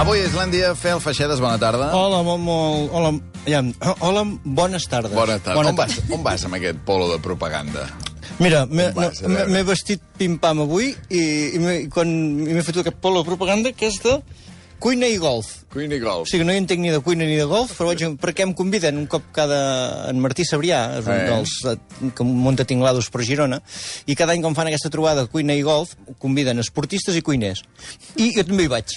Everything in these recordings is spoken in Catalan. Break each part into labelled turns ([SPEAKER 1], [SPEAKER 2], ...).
[SPEAKER 1] Avui a Islàndia, Fel Feixedes, bona tarda.
[SPEAKER 2] Hola, hola, bones tardes.
[SPEAKER 1] Bona tarda. On vas amb aquest polo de propaganda?
[SPEAKER 2] Mira, m'he vestit pim-pam avui i m'he fet aquest polo de propaganda que és de cuina i golf.
[SPEAKER 1] Cuina i golf.
[SPEAKER 2] O sigui, no hi entenc ni de cuina ni de golf, però perquè em conviden un cop en Martí Sabrià, és un dels que munta tinglados per Girona, i cada any quan fan aquesta trobada cuina i golf, conviden esportistes i cuiners. I jo també hi vaig.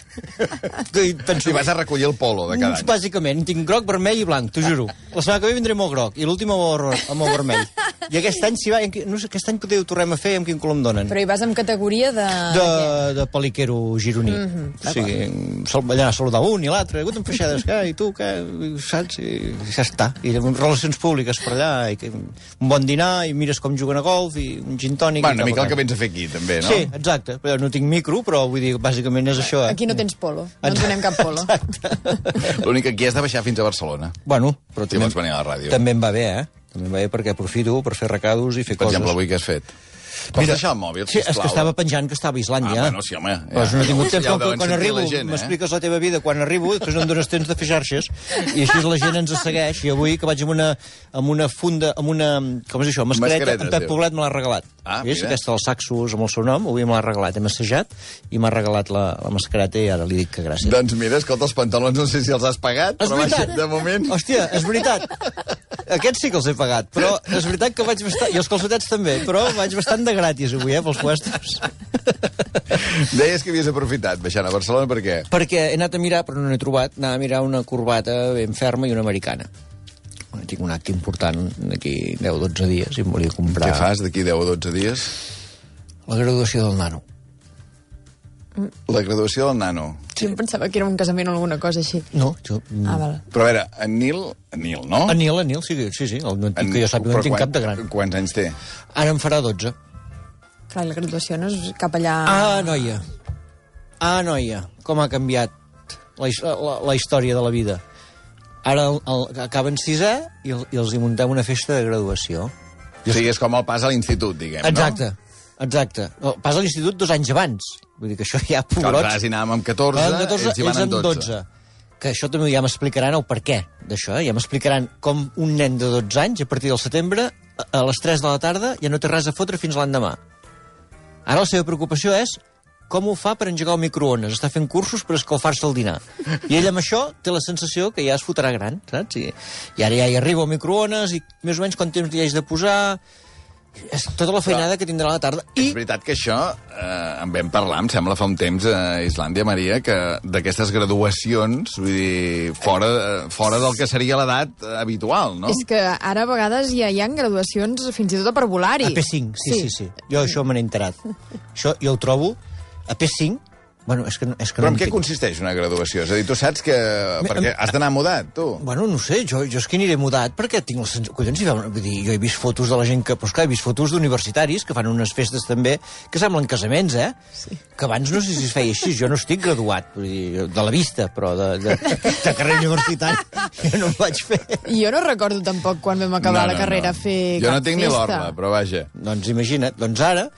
[SPEAKER 1] I vas a recollir el polo de cada any.
[SPEAKER 2] Bàsicament, tinc groc, vermell i blanc, t'ho juro. La setmana que ve vindré amb el groc, i l'últim amb el vermell. I aquest any, si va, no sé, aquest any potser ho tornem a fer, amb quin color em donen.
[SPEAKER 3] Però hi vas amb categoria de...
[SPEAKER 2] De peliquero gironí. O sigui, allà saludar un i l'altre, Guten Feixedes, què? I tu, què? Saps? I ja està. I relacions públiques per allà, i un bon dinar, i mires com juguen a golf, i un gin tònic...
[SPEAKER 1] Bueno, una mica el que vens a fer aquí, també, no?
[SPEAKER 2] Sí, exacte. Però no tinc micro, però vull dir, bàsicament és això.
[SPEAKER 3] Aquí no tens polo, no ens donem cap polo.
[SPEAKER 1] L'únic que aquí has de baixar fins a Barcelona.
[SPEAKER 2] Bueno, però
[SPEAKER 1] si vols venir a la ràdio.
[SPEAKER 2] També em va bé, També em va bé perquè aprofito per fer recados i fer coses.
[SPEAKER 1] Per exemple, avui què has fet? Pots deixar el mòbil, sisplau?
[SPEAKER 2] Sí, és que estava penjant que estava a Islàndia.
[SPEAKER 1] Bueno, sí, home.
[SPEAKER 2] Però no he tingut temps, quan arribo, m'expliques la teva vida quan arribo, després no em dones temps de fer xarxes, i així la gent ens segueix, i avui que vaig amb una funda, amb una, com és això, mascareta, en Pep Poblet me l'ha regalat. Vist? Aquesta dels saxos amb el seu nom, avui me l'ha regalat, hem assajat, i m'ha regalat la mascareta, i ara li dic que gràcies.
[SPEAKER 1] Doncs mira, escolta, els pantalons no sé si els has pagat, però de moment...
[SPEAKER 2] Hòstia, és veritat. Aquests sí que els he pagat, però és veritat que vaig bastant... I els calçotets també, però vaig bastant de gratis avui, pels puestos.
[SPEAKER 1] Deies que havies aprofitat baixant a Barcelona, per què?
[SPEAKER 2] Perquè he anat a mirar, però no n'he trobat, anar a mirar una corbata ben ferma i una americana. Tinc un acte important d'aquí 10 o 12 dies i em volia comprar...
[SPEAKER 1] Què fas d'aquí 10 o 12 dies?
[SPEAKER 2] La graduació del nano.
[SPEAKER 1] La graduació del nano.
[SPEAKER 3] Sí, em pensava que era un casament o alguna cosa així.
[SPEAKER 2] No, jo...
[SPEAKER 3] Vale.
[SPEAKER 1] Però a veure, en Nil, no?
[SPEAKER 2] En Nil, sí, que jo sàpiga, no tinc cap de gran.
[SPEAKER 1] Quants anys té?
[SPEAKER 2] Ara em farà 12.
[SPEAKER 3] Clar, la graduació no és cap allà...
[SPEAKER 2] noia, com ha canviat la història de la vida. Ara acaben 6è i els hi muntem una festa de graduació.
[SPEAKER 1] O sigui, és com el pas a l'institut, diguem,
[SPEAKER 2] no? Exacte. Pas a l'institut 2 anys abans. Vull dir que això ja...
[SPEAKER 1] Nosaltres hi anàvem amb 14, ells hi van amb 12.
[SPEAKER 2] Que això també ja m'explicaran el per què d'això, Ja m'explicaran com un nen de 12 anys, a partir del setembre, a les 3 de la tarda, ja no té res a fotre fins l'endemà. Ara la seva preocupació és com ho fa per engegar el microones. Està fent cursos per escalfar-se el dinar. I ell amb això té la sensació que ja es fotrà gran, saps? I ara ja hi arriba el microones i més o menys quant temps li haig de posar... És tota la feinada que tindrà a la tarda.
[SPEAKER 1] És veritat que això, en vam parlar, em sembla, fa un temps a Islàndia, Maria, que d'aquestes graduacions, vull dir, fora del que seria l'edat habitual, no?
[SPEAKER 3] És que ara a vegades ja hi ha graduacions fins i tot a parvulari.
[SPEAKER 2] A P5, sí. Jo això me n'he enterat. Això jo ho trobo a P5. Bueno, és que
[SPEAKER 1] però en què consisteix una graduació? És a dir, tu saps que... Perquè has d'anar mudat, tu.
[SPEAKER 2] Bueno, no sé, jo és que aniré mudat perquè tinc la sensació... Collons, vull dir, jo he vist fotos de la gent que... Però esclar, he vist fotos d'universitaris que fan unes festes també que semblen casaments,
[SPEAKER 3] Sí.
[SPEAKER 2] Que abans no sé si es feia així. Jo no estic graduat, vull dir, de la vista, però de carrera universitària jo no ho vaig fer.
[SPEAKER 3] Jo no recordo tampoc quan vam acabar la carrera fer
[SPEAKER 1] jo
[SPEAKER 3] cap
[SPEAKER 1] no tinc
[SPEAKER 3] festa.
[SPEAKER 1] ni l'orla, però vaja.
[SPEAKER 2] Doncs imagina't, doncs ara...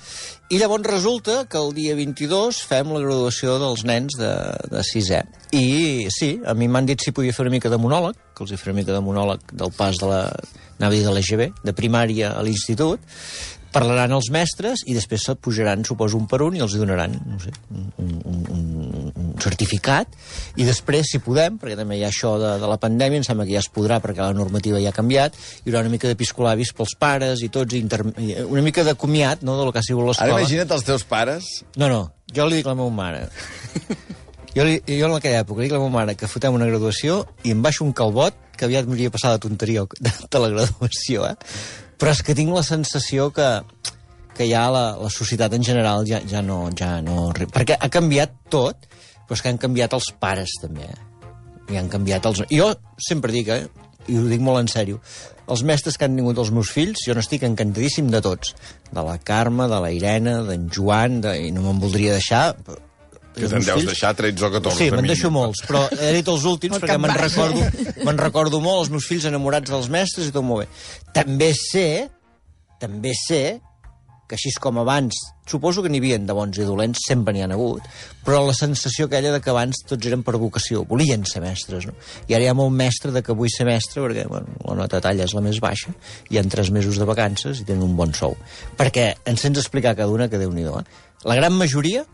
[SPEAKER 2] I llavors resulta que el dia 22 fem la graduació dels nens de 6è. I sí, a mi m'han dit si podia fer una mica de monòleg, que els hi faré una mica de monòleg del pas de l'EGB, de primària a l'institut. Parlaran els mestres i després se't pujaran, suposo, un per un i els donaran, no sé, un certificat. I després, si podem, perquè també hi ha això de la pandèmia, em sembla que ja es podrà perquè la normativa ja ha canviat, hi haurà una mica d'episcolavis pels pares i tots, una mica de comiat, no?, del que ha sigut l'escola.
[SPEAKER 1] Ara imagina't els teus pares...
[SPEAKER 2] No, jo li dic a la meva mare... Jo en aquella època li dic a la meva mare que fotem una graduació i em baixo un calbot que aviat m'hauria passat la tonteria de la graduació, Però és que tinc la sensació que ja la societat en general ja no... Perquè ha canviat tot, però és que han canviat els pares, també. I han canviat els... Jo sempre dic, i ho dic molt en sèrio, els mestres que han tingut els meus fills, jo n'estic encantadíssim de tots. De la Carme, de la Irene, d'en Joan, i no me'n voldria deixar...
[SPEAKER 1] Que te'n deus deixar 13 o 14.
[SPEAKER 2] Sí, me'n deixo molts, però he dit els últims perquè me'n recordo molt, els meus fills enamorats dels mestres i tot molt bé. També sé que així com abans, suposo que n'hi havia de bons i dolents, sempre n'hi ha hagut, però la sensació aquella de que abans tots eren per vocació, volien ser mestres, no? I ara hi ha molt mestre de que vull ser mestre perquè bueno, la nota talla és la més baixa, hi ha 3 mesos de vacances i tenen un bon sou. Perquè ens sents explicar cada una que Déu-n'hi-do, La gran majoria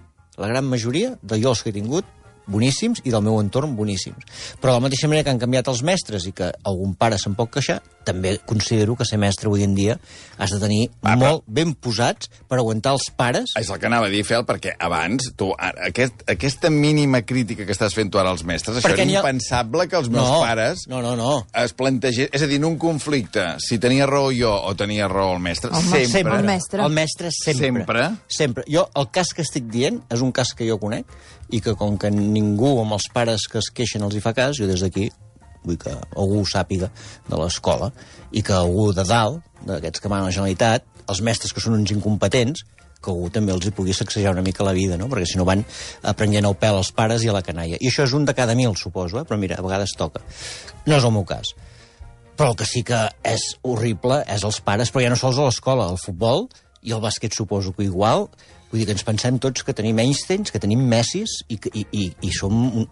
[SPEAKER 2] de jo els que he tingut, boníssims, i del meu entorn, boníssims. Però de la mateixa manera que han canviat els mestres i que algun pare se'n pot queixar, també considero que ser mestre avui en dia has de tenir molt ben posats per aguantar els pares.
[SPEAKER 1] És el que anava a dir, Fel, perquè abans, tu, aquesta mínima crítica que estàs fent tu ara als mestres, això era impensable que els meus pares es plantegés... És a dir, en un conflicte, si tenia raó jo o tenia raó el mestre, sempre.
[SPEAKER 2] El mestre sempre. Jo, el cas que estic dient és un cas que jo conec i que com que ningú amb els pares que es queixen els hi fa cas, jo des d'aquí vull que algú ho sàpiga de l'escola i que algú de dalt, d'aquests que manen la Generalitat, els mestres que són uns incompetents, que algú també els hi pugui sacsejar una mica la vida, no? Perquè si no van prenent el pèl als pares i a la canalla. I això és un de cada 1000, suposo, però mira, a vegades toca. No és el meu cas. Però el que sí que és horrible és els pares, però ja no sols a l'escola, al futbol i al bàsquet suposo que igual. Vull dir que ens pensem tots que tenim Einsteins, que tenim Messis i som...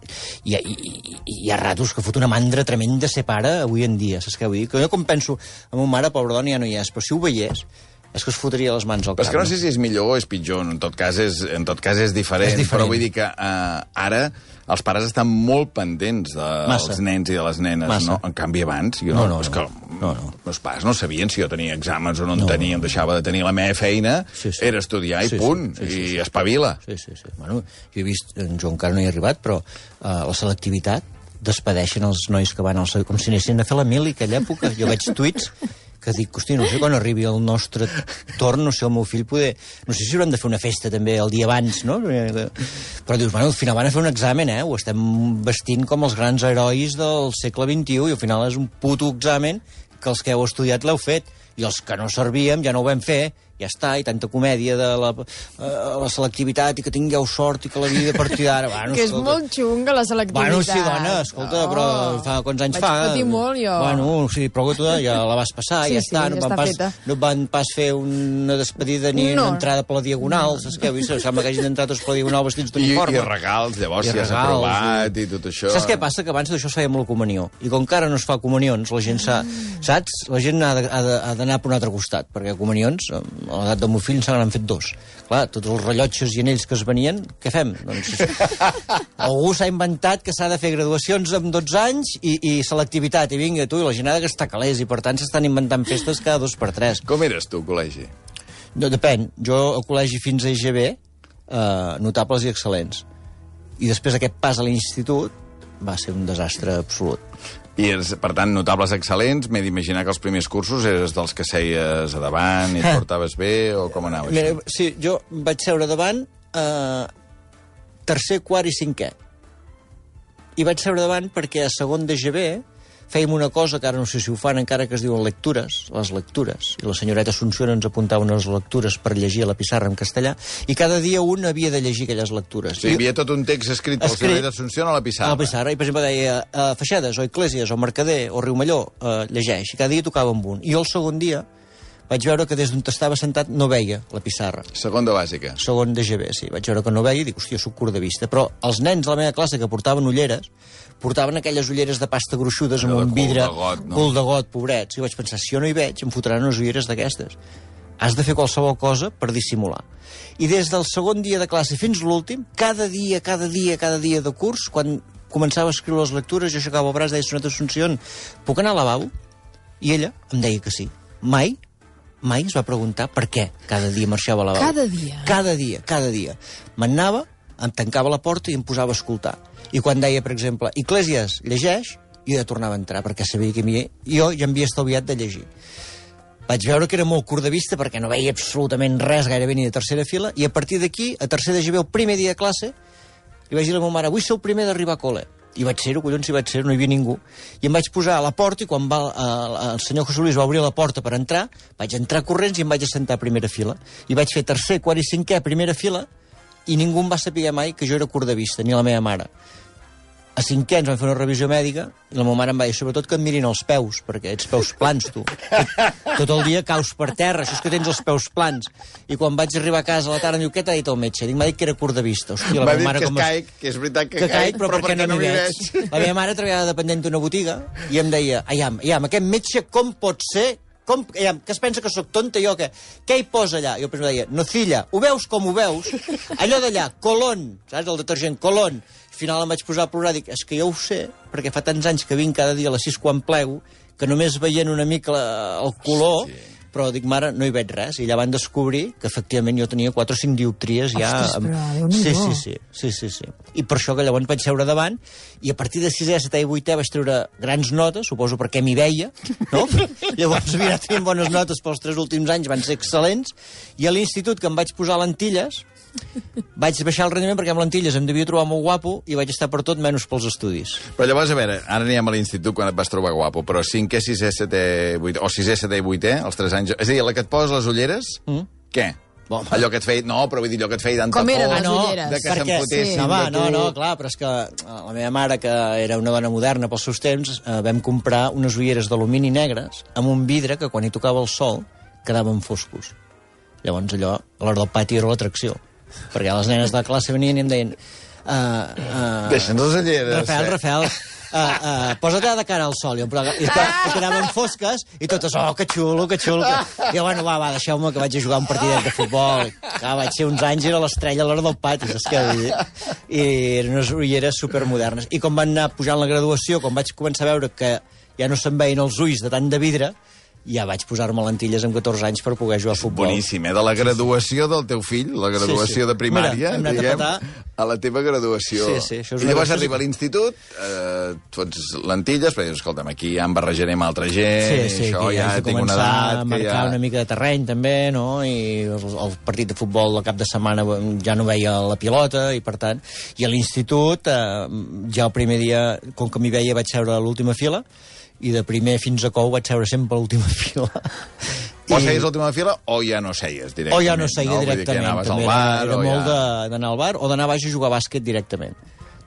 [SPEAKER 2] Hi ha ratos que fot una mandra tremenda ser pare avui en dia, saps què vull dir? Que jo com penso, a ma mare, pobra dona, ja no hi és, però si ho veiés, és que es fotria les mans al cap.
[SPEAKER 1] Però és que no sé si és millor o és pitjor, en tot cas és diferent. Però vull dir que ara els pares estan molt pendents dels nens i de les nenes, no? En canvi, abans, és que meus pares no sabien si jo tenia exàmens o no en tenia, em deixava de tenir la meva feina, era estudiar i punt, i espavila.
[SPEAKER 2] Sí. Bueno, jo he vist, jo encara no hi he arribat, però la selectivitat despedeixen els nois que van com si anessin a fer la mili, aquella època. Jo veig tuits que dic, hosti, no sé quan arribi el nostre torn, no sé, el meu fill poder... No sé si haurem de fer una festa també el dia abans, no? Però dius, bueno, al final van a fer un examen, Ho estem vestint com els grans herois del segle XXI i al final és un puto examen que els que heu estudiat l'heu fet i els que no servíem ja no ho vam fer, ja està, i tanta comèdia de la selectivitat i que tingueu sort i que la vida a partir d'ara... Bueno,
[SPEAKER 3] que és molt xunga, la selectivitat.
[SPEAKER 2] Bueno, sí, dona, escolta, però fa quants anys fa?
[SPEAKER 3] Vaig patir molt, jo.
[SPEAKER 2] Bueno, sí, però que tu ja la vas passar, ja està. No van pas fer una despedida ni una entrada per la diagonal, saps què? Sembla que hagin entrat tots per la diagonal vestits d'uniforme.
[SPEAKER 1] I regals, llavors, si has aprovat i tot això...
[SPEAKER 2] Saps què passa? Que abans d'això es feia amb la comunió. I com que ara no es fa comunions, la gent saps? La gent ha d'anar per un altre costat, perquè comunions... A l'edat del meu fill se n'han fet 2. Clar, tots els rellotges i anells que es venien, què fem? Doncs algú s'ha inventat que s'ha de fer graduacions amb 12 anys i selectivitat, i vinga, tu, i la gent ha de gastar calés, i per tant s'estan inventant festes cada 2 per 3.
[SPEAKER 1] Com eres tu, al col·legi?
[SPEAKER 2] No, depèn. Jo, al col·legi fins a EGB, notables i excel·lents. I després aquest pas a l'institut va ser un desastre absolut.
[SPEAKER 1] I, per tant, notables excel·lents, m'he d'imaginar que els primers cursos eres dels que seies a davant i et portaves bé, o com anava això?
[SPEAKER 2] Mira, sí, jo vaig seure davant tercer, quart i cinquè. I vaig seure davant perquè a segon d'EGB fèiem una cosa que ara no sé si ho fan encara, que es diuen lectures, les lectures. I la senyoreta Assumpció ens apuntava unes lectures per llegir a la pissarra en castellà, i cada dia un havia de llegir aquelles lectures.
[SPEAKER 1] Sí, hi havia tot un text escrit per la senyoreta Assumpció a la pissarra.
[SPEAKER 2] A la pissarra, i per exemple deia Feixedes, o Eclèsies, o Mercader, o Riumelló, llegeix, i cada dia tocava amb un. I jo el segon dia vaig veure que des d'on estava sentat no veia la pissarra.
[SPEAKER 1] Segon de bàsica.
[SPEAKER 2] Segon de GB, sí. Vaig veure que no veia i dic, hòstia, soc curt de vista. Però els nens de la meva classe que portaven ulleres, portaven aquelles ulleres de pasta gruixudes amb un vidre cul de got, pobrets. I vaig pensar, si jo no hi veig, em fotran unes ulleres d'aquestes. Has de fer qualsevol cosa per dissimular. I des del segon dia de classe fins l'últim, cada dia de curs, quan començava a escriure les lectures, jo aixecava el braç, deia, senyoreta Assumpció, puc anar al lavabo? I ella em deia que sí. Mai es va preguntar per què cada dia marxava a lavabo. Cada dia. M'anava, em tancava la porta i em posava a escoltar. I quan deia, per exemple, Eclèsies, llegeix, jo ja tornava a entrar, perquè sabia que jo ja m'havia estalviat de llegir. Vaig veure que era molt curt de vista, perquè no veia absolutament res, gairebé ni de tercera fila, i a partir d'aquí, a tercer de GB, el primer dia de classe, li vaig dir a la meva mare, vull ser el primer d'arribar a col·le. I vaig ser-ho, collons, no hi havia ningú. I em vaig posar a la porta, i quan el senyor José Luis va obrir la porta per entrar, vaig entrar corrents i em vaig assentar a primera fila. I vaig fer tercer, quart i cinquè a primera fila, i ningú em va saber mai que jo era curt de vista, ni la meva mare. A 5è ens van fer una revisió mèdica i la meva mare em va dir, sobretot que et mirin els peus, perquè ets peus plans, tu. Tot el dia caus per terra, això és que tens els peus plans. I quan vaig arribar a casa a la tarda em diu, què t'ha dit el metge? M'ha dit que era curt de vista. Hòstia,
[SPEAKER 1] m'ha dit que es caic, que és veritat que caic, però perquè no m'hi veig.
[SPEAKER 2] La meva mare treballava dependent d'una botiga i em deia, aiam, aquest metge com pot ser? Que es pensa que sóc tonta jo, què hi posa allà? Jo em deia, nocilla, ho veus com ho veus? Allò d'allà, colón, saps, el detergent, colón. Al final em vaig posar a plorar, dic, és que jo ho sé, perquè fa tants anys que vinc cada dia a les 6 quan plego, que només veient una mica el color, però dic, mare, no hi veig res. I allà van descobrir que efectivament jo tenia 4 o 5 dioptries ja...
[SPEAKER 3] Ostres, però Déu-n'hi-do.
[SPEAKER 2] Sí. I per això que llavors vaig seure davant, i a partir de 6è, 7è i 8è vaig treure grans notes, suposo perquè m'hi veia, no? Llavors, mira, tenint bones notes pels 3 últims anys, van ser excel·lents, i a l'institut, que em vaig posar lentilles, vaig baixar el rendiment perquè amb lentilles em devia trobar molt guapo i vaig estar per tot menys pels estudis.
[SPEAKER 1] Però llavors, a veure, ara anem a l'institut quan et vas trobar guapo, però 5è, 6è, 7è, 8è, o 6è, 7è i 8è, els 3 anys... És a dir, la que et poses les ulleres, què?
[SPEAKER 2] Bon,
[SPEAKER 1] allò que et feia... No, però vull dir, allò que et feia tanta
[SPEAKER 3] por... Com eren
[SPEAKER 1] les
[SPEAKER 3] ulleres?
[SPEAKER 1] De que s'empotessin
[SPEAKER 2] de tu... No, clar, però és que la meva mare, que era una dona moderna pels seus temps, vam comprar unes ulleres d'alumini negres amb un vidre que quan hi tocava el sol quedaven foscos. Llavors allò, a l'hora del pati era l'atracció. Perquè les nenes de la classe venien i em deien...
[SPEAKER 1] Deixa'ns les ulleres.
[SPEAKER 2] Rafael, posa't de cara al sol. I quedaven fosques i totes, oh, que xulo. I bueno, va, deixeu-me que vaig a jugar un partidet de futbol. Vaig ser uns anys, era l'estrella a l'hora del pati, saps què vull dir? I eren unes ulleres supermodernes. I com van anar pujant la graduació, quan vaig començar a veure que ja no se'n veien els ulls de tant de vidre, ja vaig posar-me lentilles amb 14 anys per poder jugar a futbol.
[SPEAKER 1] Boníssim, de la graduació del teu fill, la graduació de primària,
[SPEAKER 2] mira,
[SPEAKER 1] diguem, a la teva graduació.
[SPEAKER 2] Sí, això és
[SPEAKER 1] I llavors arriba a l'institut, fots lentilles, però dius, escolta'm, aquí ja em barrejaré amb altra gent, això ja tinc una edat...
[SPEAKER 2] A marcar una mica de terreny, també, no? I el partit de futbol al cap de setmana ja no veia la pilota, i per tant... I a l'institut, ja el primer dia, com que m'hi veia, vaig seure a l'última fila, i de primer fins a cou vaig seure sempre a l'última fila.
[SPEAKER 1] O seies a l'última fila o ja no seies directament.
[SPEAKER 2] O ja no seia directament.
[SPEAKER 1] Anaves al bar,
[SPEAKER 2] era molt d'anar al bar o d'anar baix a jugar a bàsquet directament.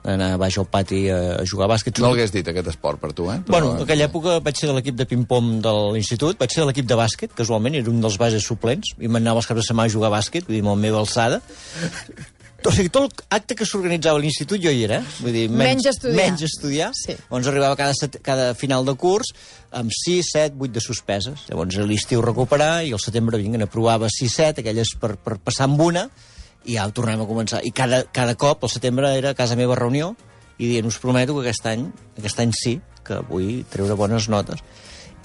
[SPEAKER 2] D'anar baix al pati a jugar a bàsquet.
[SPEAKER 1] No l'hagués dit, aquest esport, per tu, eh?
[SPEAKER 2] Bueno, en aquella època vaig ser de l'equip de ping-pong de l'institut, vaig ser de l'equip de bàsquet, casualment, era un dels bases suplents, i m'anava els caps de setmana a jugar a bàsquet, vull dir, amb la meva alçada. O sigui, tot l'acte que s'organitzava a l'institut jo hi era, vull dir, menys estudiar. Sí. Llavors arribava cada final de curs amb 6, 7, 8 de suspeses. Llavors a l'estiu recuperar i al setembre aprovava 6, 7, aquelles per passar amb una, i ja ho tornem a començar. I cada cop, al setembre, era a casa meva reunió, i dient, us prometo que aquest any sí, que vull treure bones notes.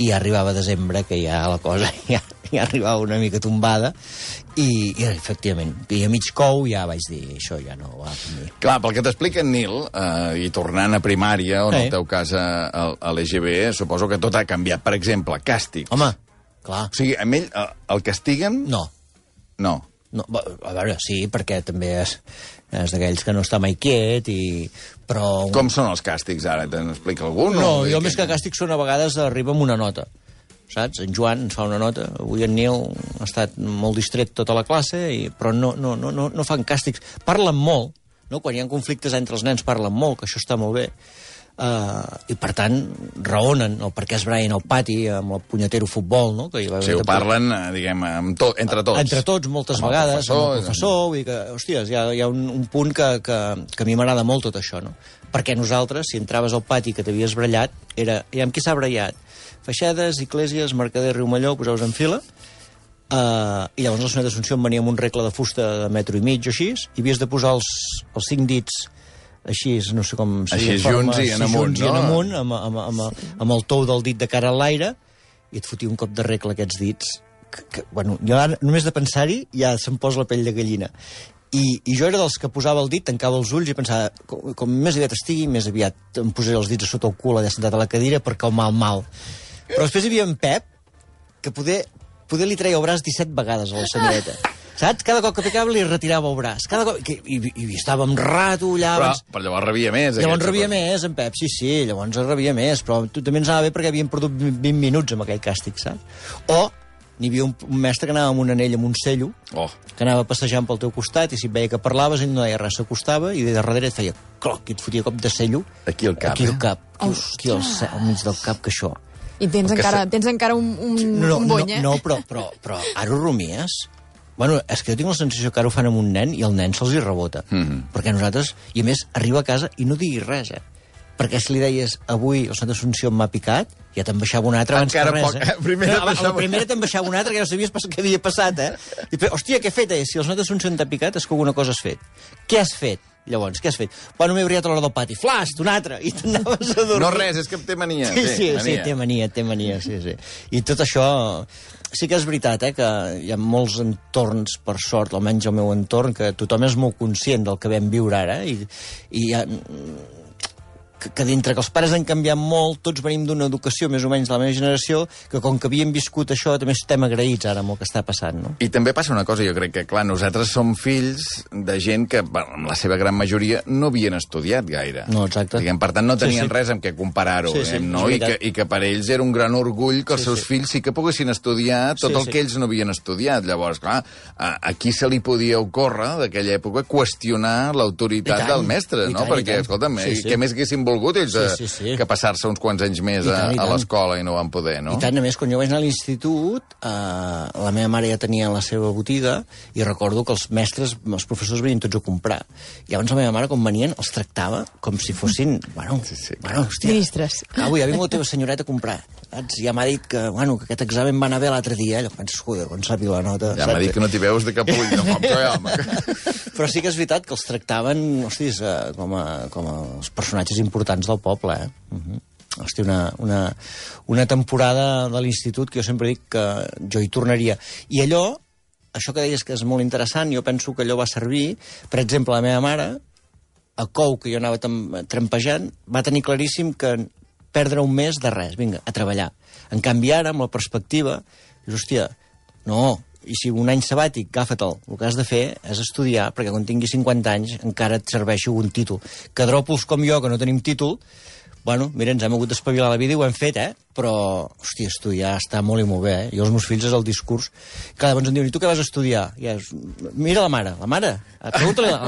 [SPEAKER 2] I arribava a desembre, que ja la cosa ja arribava una mica tombada, i efectivament, i a mig cou ja vaig dir, això ja no va per mi.
[SPEAKER 1] Clar, pel que t'explica en Nil, i tornant a primària, o en el teu cas a l'EGB, suposo que tot ha canviat. Per exemple, càstigs.
[SPEAKER 2] Home, clar.
[SPEAKER 1] O sigui, amb ell el castiguen?
[SPEAKER 2] No.
[SPEAKER 1] No.
[SPEAKER 2] No, a veure, sí, perquè també és d'aquells que no està mai quiet, però...
[SPEAKER 1] Com són els càstigs, ara? Te'n explica algun?
[SPEAKER 2] No, jo més que càstigs són a vegades arriba amb una nota, saps? En Joan ens fa una nota, avui en Nil ha estat molt distret tota la classe, però no fan càstigs. Parlen molt, no? Quan hi ha conflictes entre els nens parlen molt, que això està molt bé. I per tant raonen el per què es braien al pati amb el punyetero futbol, no? Que
[SPEAKER 1] sí, ho parlen, diguem, entre tots
[SPEAKER 2] moltes vegades, amb el professor, vull dir que, hòsties, hi ha un punt que a mi m'agrada molt tot això, no? Perquè nosaltres, si entraves al pati que t'havies brallat, era, i amb qui s'ha brallat? Feixedes, Iglesias, Mercader, Riumelló, posaves en fila, i llavors la senyora d'Assumpció em venia amb un regle de fusta de 1,5 metres o així, i havies de posar els 5 dits així, no sé com...
[SPEAKER 1] Així junts i en amunt, no?
[SPEAKER 2] Amb el tou del dit de cara a l'aire, i et fotia un cop de regla aquests dits. Bueno, jo ara, només de pensar-hi, ja se'm posa la pell de gallina. I jo era dels que posava el dit, tancava els ulls i pensava, com més aviat estigui, més aviat em posaré els dits a sota el cul allà sentat a la cadira per calmar el mal. Però després hi havia en Pep, que poder li treia el braç 17 vegades a la senyoreta. Saps? Cada cop que picava li retirava el braç. Cada cop... I estava amb rato allà...
[SPEAKER 1] Però llavors rebia més.
[SPEAKER 2] Llavors rebia més, en Pep, sí, llavors rebia més, però tu també ens anava bé perquè havíem perdut 20 minuts amb aquell càstig, saps? O n'hi havia un mestre que anava amb un anell amb un cello, que anava passejant pel teu costat, i si et veia que parlaves, ell no deia res, s'acostava, i de darrere et feia cloc, i et fotia cop de cello.
[SPEAKER 1] Aquí al cap,
[SPEAKER 2] Aquí al cap, aquí al mig del cap, que això.
[SPEAKER 3] I tens encara un bony,
[SPEAKER 2] No, però ara ho rumies? Bueno, és que jo tinc la sensació que ara ho fan amb un nen i el nen se'ls hi rebota. Perquè nosaltres, i a més, arriba a casa i no diguis res, Perquè si li deies, avui el Sant Assumpció m'ha picat, ja te'n baixava un altre abans que res, La primera te'n baixava un altre, que no sabies què havia passat, I, hòstia, què he fet, Si el Sant Assumpció t'ha picat és que alguna cosa has fet. Què has fet? Llavors, què has fet? Bueno, m'he brillat a l'hora del pati. Flash, d'un altre! I t'anaves a dormir.
[SPEAKER 1] No res, és que té mania.
[SPEAKER 2] Sí, té mania, sí. I tot això... Sí que és veritat, que hi ha molts entorns, per sort, almenys el meu entorn, que tothom és molt conscient del que vam viure ara, i hi ha... que dintre que els pares han canviat molt, tots venim d'una educació més o menys de la meva generació, que com que havíem viscut això, també estem agraïts ara amb el que està passant, no?
[SPEAKER 1] I també passa una cosa, jo crec que, clar, nosaltres som fills de gent que, bueno, en la seva gran majoria, no havien estudiat gaire.
[SPEAKER 2] No, exacte.
[SPEAKER 1] Diguem, per tant, no tenien res amb què comparar-ho, no? I que per ells era un gran orgull que els seus fills sí que poguessin estudiar tot el que ells no havien estudiat. Llavors, clar, aquí se li podia ocórrer, d'aquella època, qüestionar l'autoritat del mestre, no? Perquè, escolta'm, què més haguessin volgut ells que passar-se uns quants anys més a l'escola i no van poder, no?
[SPEAKER 2] I tant, a més, quan jo vaig anar a l'institut, la meva mare ja tenia la seva botiga i recordo que els mestres, els professors venien tots a comprar. I llavors la meva mare, quan venien, els tractava com si fossin, hòstia,
[SPEAKER 3] ministres.
[SPEAKER 2] Avui ha vingut la teva senyoreta a comprar. Saps? Ja m'ha dit que aquest examen va anar bé l'altre dia. Allò penses, joder, quan sàpiga la nota...
[SPEAKER 1] Ja m'ha dit que no t'hi veus de cap ull, no home.
[SPEAKER 2] Però sí que és veritat que els tractaven, hòsties, com els personatges importants del poble, Hosti, una temporada de l'institut que jo sempre dic que jo hi tornaria. I allò, això que deies que és molt interessant, jo penso que allò va servir, per exemple, la meva mare, a Cou, que jo anava trampejant, va tenir claríssim que perdre un mes de res, vinga, a treballar. En canvi, ara, amb la perspectiva, dius, hòstia, no, i si un any sabàtic, agafa-te'l. El que has de fer és estudiar, perquè quan tinguis 50 anys encara et serveixi un títol. Que dròpols com jo, que no tenim títol, bueno, mira, ens hem hagut d'espavilar la vida i ho hem fet, Però, hòstia, estudiar està molt i molt bé, Jo els meus fills és el discurs. Cada vegada em diuen, i tu què vas estudiar? Mira la mare.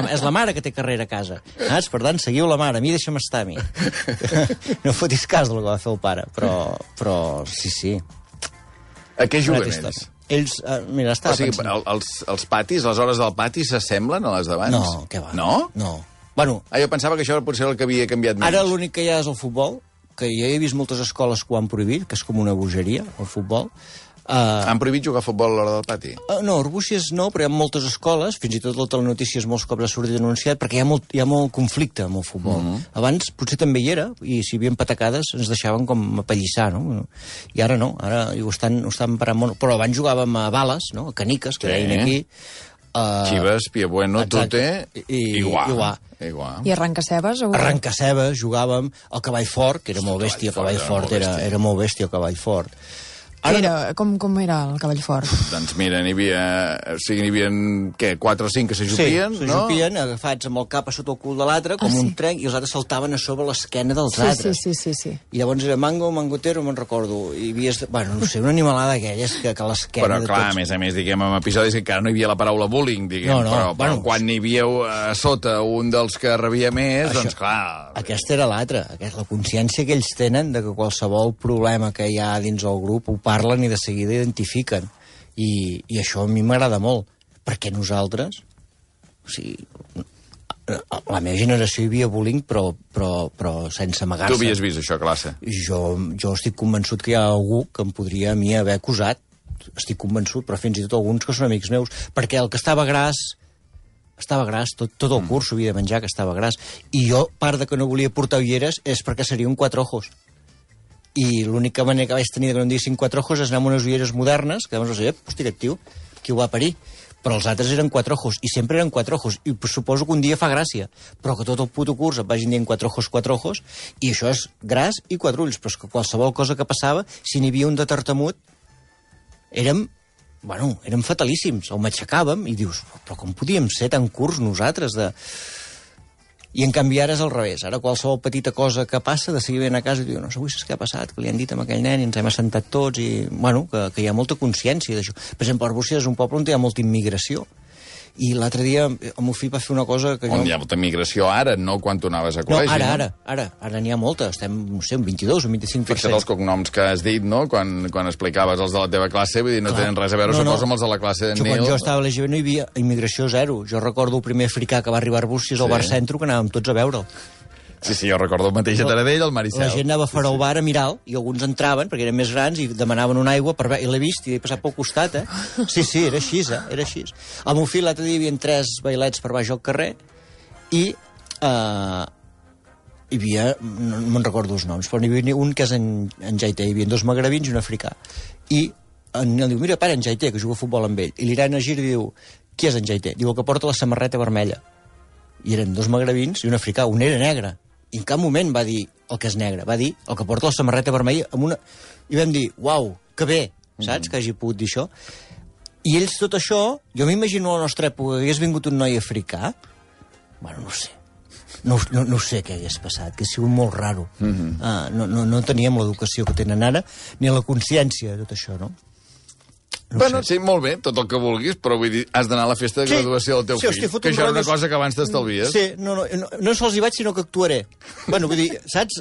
[SPEAKER 2] És la mare que té carrera a casa. Per tant, seguiu la mare, a mi deixa'm estar a mi. No fotis cas del que va fer el pare, però sí.
[SPEAKER 1] A què juguen ells?
[SPEAKER 2] Ells, mira, estava pensant...
[SPEAKER 1] Els patis, les hores del pati s'assemblen a les d'abans?
[SPEAKER 2] No, què va.
[SPEAKER 1] No?
[SPEAKER 2] No. Bueno,
[SPEAKER 1] jo pensava que això potser era el que havia canviat més.
[SPEAKER 2] Ara l'únic que hi ha és el futbol, que jo he vist moltes escoles que ho han prohibit, que és com una bogeria, el futbol.
[SPEAKER 1] Han prohibit jugar a futbol a l'hora del pati?
[SPEAKER 2] No, Arbúcies no, però hi ha moltes escoles, fins i tot la telenotícies molts cops ha sortit anunciat, perquè hi ha molt conflicte amb el futbol. Abans potser també hi era, i si hi havia patacades ens deixaven com apallissar, no? I ara no, ara ho estan parant molt. Però abans jugàvem a bales, no? A caniques, que deien aquí.
[SPEAKER 1] Xives, Piebueno, Tute i Guà.
[SPEAKER 3] I Arrencacebes?
[SPEAKER 2] Arrencacebes, jugàvem al Cavall Fort, que era molt bèstia, el Cavall Fort era molt bèstia, el Cavall Fort.
[SPEAKER 3] Com era el Cavall Fort?
[SPEAKER 1] Doncs mira, n'hi havia, què, 4 o 5 que s'ajupien,
[SPEAKER 2] no? Sí, s'ajupien, agafats amb el cap a sota el cul de l'altre, com un trenc, i els altres saltaven a sobre l'esquena dels altres.
[SPEAKER 3] Sí.
[SPEAKER 2] I llavors era mangotero, me'n recordo. I havies, bueno, no sé, una animalada d'aquelles que l'esquena...
[SPEAKER 1] Però clar, a més, diguem, en episodis que encara no hi havia la paraula bullying, diguem, però quan n'hi havia a sota un dels que rebia més, doncs clar...
[SPEAKER 2] Aquesta era l'altra, la consciència que ells tenen de que qualsevol problema que hi ha dins el grup ho parlen i de seguida identifiquen. I això a mi m'agrada molt, perquè nosaltres, o sigui, la meva generació hi havia bullying, però sense amagar-se.
[SPEAKER 1] Tu havies vist això a classe?
[SPEAKER 2] Jo estic convençut que hi ha algú que em podria a mi haver acusat, estic convençut, però fins i tot alguns que són amics meus, perquè el que estava gras, tot el curs havia de menjar que estava gras. I jo, part de que no volia portar ulleres és perquè seria un 4 ojos. I l'única manera que vaig tenir que no em diguessin 4 ojos és anar amb unes ulleres modernes, que llavors hosti, aquest tio, qui ho va parir? Però els altres eren 4 ojos, i sempre eren 4 ojos, i suposo que un dia fa gràcia, però que tot el puto curs et vagin dient 4 ojos, i això és gras i 4 ulls, però és que qualsevol cosa que passava, si n'hi havia un de tartamut, érem fatalíssims, o m'aixecàvem, i dius, però com podíem ser tan curts nosaltres de... I en canvi ara és al revés. Ara qualsevol petita cosa que passa, de seguir venint a casa i diu, no sé, avui saps què ha passat, que li han dit a aquell nen i ens hem assentat tots i, bueno, que hi ha molta consciència d'això. Per exemple, Arbúcies és un poble on hi ha molta immigració. I l'altre dia el meu fill va fer una cosa que...
[SPEAKER 1] On hi ha molta migració ara, no quan tu anaves a col·legi,
[SPEAKER 2] no? Ara n'hi ha molta. Estem, no sé, un 22 o un 25%.
[SPEAKER 1] Fixa't els cognoms que has dit, no?, quan explicaves els de la teva classe, vull dir, no tenen res a veure, suposo, amb els de la classe d'en Nil.
[SPEAKER 2] Quan jo estava a l'EGB no hi havia immigració zero. Jo recordo el primer africà que va arribar a Arbúcies al bar Centro, que anàvem tots a veure'l.
[SPEAKER 1] Sí, jo recordo el mateix a Taradell, el Maricel.
[SPEAKER 2] La gent anava fora al bar a mirar-lo, i alguns entraven, perquè eren més grans, i demanaven una aigua, i l'he vist, i he passat pel costat, Sí, era així, era així. Al meu fill l'altre dia hi havia 3 bailets per baix al carrer, i hi havia, no me'n recordo els noms, però n'hi havia un que és en Jaité, hi havia 2 magrebins i un africà. I en Nil diu, mira, pare, en Jaité, que juga a futbol amb ell. I l'Irene gira i diu, qui és en Jaité? Diu, el que porta la samarreta vermella. I eren 2 magrebins i un africà, un era negre. I en cap moment va dir el que és negre, va dir el que porta la samarreta vermella amb una... I vam dir, uau, que bé, saps, que hagi pogut dir això. I ells tot això, jo m'imagino a la nostra època que hagués vingut un noi africà, bueno, no sé. No sé què hagués passat, que ha sigut molt raro. No teníem l'educació que tenen ara, ni la consciència de tot això, no?
[SPEAKER 1] Bueno, sí, molt bé, tot el que vulguis, però vull dir, has d'anar a la festa de graduació del teu fill, que això era una cosa que abans t'estalvies.
[SPEAKER 2] Sí, no sols hi vaig, sinó que actuaré. Bueno, vull dir, saps,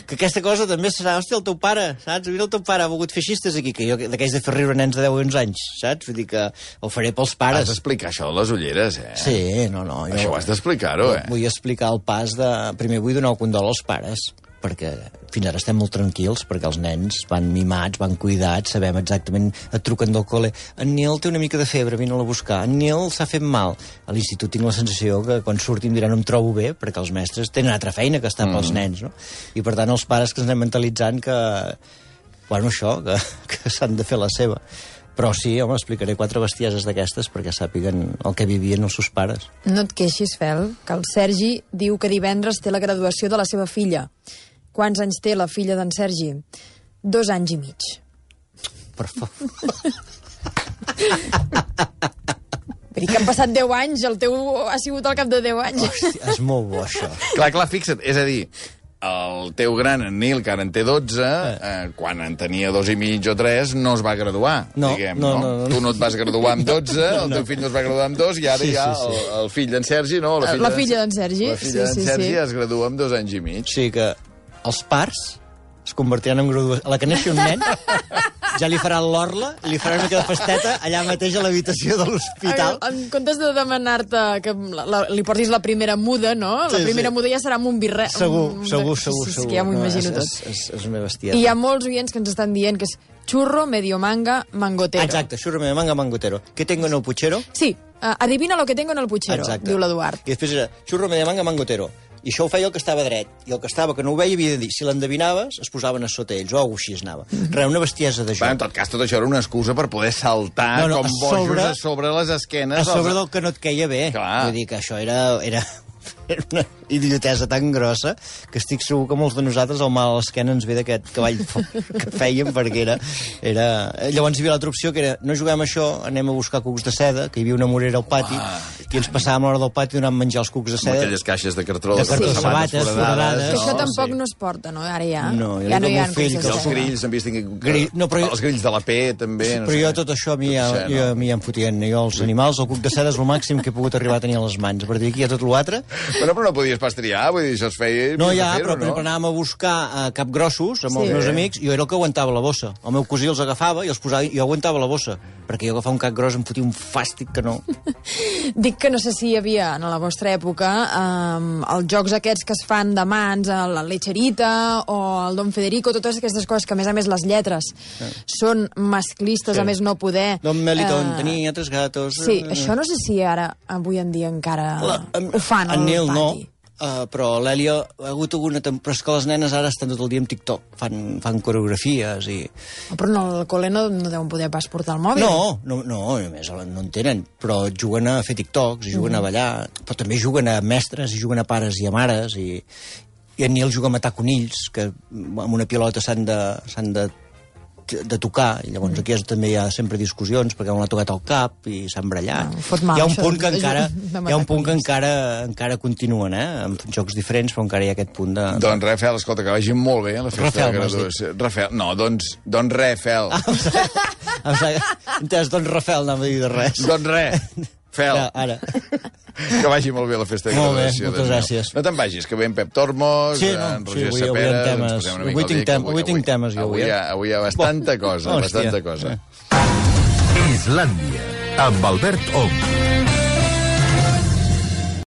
[SPEAKER 2] que aquesta cosa també serà, hòstia, el teu pare, saps? Mira, el teu pare ha volgut fer xistes aquí, que jo d'aquells de fer riure nens de 10 o 11 anys, saps? Vull dir que ho faré pels pares.
[SPEAKER 1] Has d'explicar això de les ulleres,
[SPEAKER 2] Sí, no.
[SPEAKER 1] Això ho has d'explicar-ho,
[SPEAKER 2] Vull explicar el pas de... Primer vull donar el condol als pares, perquè fins ara estem molt tranquils, perquè els nens van mimats, van cuidats, sabem exactament, et truquen del col·le, en Nil té una mica de febre, vine-la a buscar, en Nil s'ha fet mal. A l'institut tinc la sensació que quan surtin diran no em trobo bé, perquè els mestres tenen altra feina que estar pels nens, no? I per tant els pares que ens anem mentalitzant que, bueno, això, que s'han de fer la seva. Però sí, home, explicaré 4 bestieses d'aquestes perquè sàpiguen el que vivien els seus pares.
[SPEAKER 3] No et queixis, Fel, que el Sergi diu que divendres té la graduació de la seva filla. Quants anys té la filla d'en Sergi? 2 anys i mig.
[SPEAKER 2] Per favor.
[SPEAKER 3] Vull dir que han passat 10 anys, el teu ha sigut al cap de 10 anys.
[SPEAKER 2] Hòstia, és molt bo, això.
[SPEAKER 1] Clar, fixa't, és a dir, el teu gran, en Nil, que ara en té 12, quan en tenia 2 i mig o 3, no es va graduar, diguem, no? Tu no et vas graduar amb 12, el teu fill no es va graduar amb 2, i ara ja el fill d'en Sergi, no?
[SPEAKER 3] La filla d'en Sergi.
[SPEAKER 1] La filla d'en Sergi es gradua amb 2 anys i mig.
[SPEAKER 2] Sí, que els parts es convertiran en graduació. A la que neixi un nen, ja li faran l'orla, li faran una mica de festeta allà mateix a l'habitació de l'hospital.
[SPEAKER 3] En comptes de demanar-te que li portis la primera muda, no? La primera muda ja serà amb un birret.
[SPEAKER 2] Segur.
[SPEAKER 3] És que ja m'ho imagino tot.
[SPEAKER 2] És una bestieta.
[SPEAKER 3] I hi ha molts oients que ens estan dient que és churro, medio manga, mangotero.
[SPEAKER 2] Exacte, churro, medio manga, mangotero. ¿Qué tengo en el puchero?
[SPEAKER 3] Sí, adivina lo que tengo en el puchero, diu l'Eduard.
[SPEAKER 2] I després era churro, medio manga, mangotero. I això ho feia el que estava dret. I el que estava que no ho veia havia de dir, si l'endevinaves, es posaven a sota ells, o així es anava. Una bestiesa de joc.
[SPEAKER 1] En tot cas, tot això era una excusa per poder saltar com bojos a sobre les esquenes.
[SPEAKER 2] A sobre del que no et queia bé. Vull dir que això era una idiotesa tan grossa que estic segur que molts de nosaltres el mal a l'esquena ens ve d'aquest cavall que fèiem, perquè era... Llavors hi havia l'altra opció, que era no juguem a això, anem a buscar cucs de seda, que hi havia una morera al pati, i ens passàvem l'hora del pati donant menjar els cucs de seda.
[SPEAKER 1] Amb aquelles caixes de cartró.
[SPEAKER 2] De cartró, sabates foradades.
[SPEAKER 3] Que això tampoc no es porta, no? Ara ja
[SPEAKER 2] no
[SPEAKER 3] hi ha
[SPEAKER 2] fill,
[SPEAKER 1] que els grills, hem vist els grills de la P, també.
[SPEAKER 2] Però jo tot això a mi ja em fotien. Jo els animals, el cuc de seda és el màxim que he pogut arribar a tenir a les mans. A partir d'aquí hi ha tot l'altre.
[SPEAKER 1] Però no podies pas triar, vull dir, això es feia...
[SPEAKER 2] No, ja, però anàvem a buscar capgrossos amb els meus amics, i jo era el que aguantava la bossa. El meu cosí els agafava i els posava, i jo aguantava la bossa, perquè jo agafava un cap gros em fotia un fàstic que no...
[SPEAKER 3] Dic que no sé si hi havia, en la vostra època, els jocs aquests que es fan de mans, la Lecherita o el Don Federico, totes aquestes coses que, a més, les lletres són masclistes, a més no poder...
[SPEAKER 2] Don Melitón tenia 3 gatos...
[SPEAKER 3] Sí, això no sé si ara, avui en dia, encara ho fan al
[SPEAKER 2] Nil,
[SPEAKER 3] pati.
[SPEAKER 2] No. Però l'Èlia ha hagut alguna... Però és que les nenes ara estan tot el dia amb TikTok, fan coreografies i...
[SPEAKER 3] Però no, al col·le no deuen poder pas portar el mòbil.
[SPEAKER 2] No, només no en tenen, però juguen a fer TikToks, i juguen a ballar, però també juguen a mestres, i juguen a pares i a mares, i en Nil juga a matar conills, que amb una pilota s'han de de tocar, i llavors aquí també hi ha sempre discussions, perquè un l'ha tocat al cap i s'ha embrellat. Hi ha un punt que encara continuen, amb jocs diferents, però encara hi ha aquest punt de...
[SPEAKER 1] Doncs Rafael, escolta, que vagi molt bé la festa de graduació. Rafael, no, doncs Rafael.
[SPEAKER 2] Doncs Rafael, no m'ha dit de res.
[SPEAKER 1] Doncs res, Fel.
[SPEAKER 2] Ara.
[SPEAKER 1] Que vagi molt bé la festa de graduació.
[SPEAKER 2] Molt bé, moltes gràcies.
[SPEAKER 1] No te'n vagis, que ve en Pep Tormos, en Roger Sapera...
[SPEAKER 2] Avui tinc temes, jo.
[SPEAKER 1] Avui hi ha bastanta cosa, bastanta cosa.
[SPEAKER 4] Islàndia, amb Albert Ong.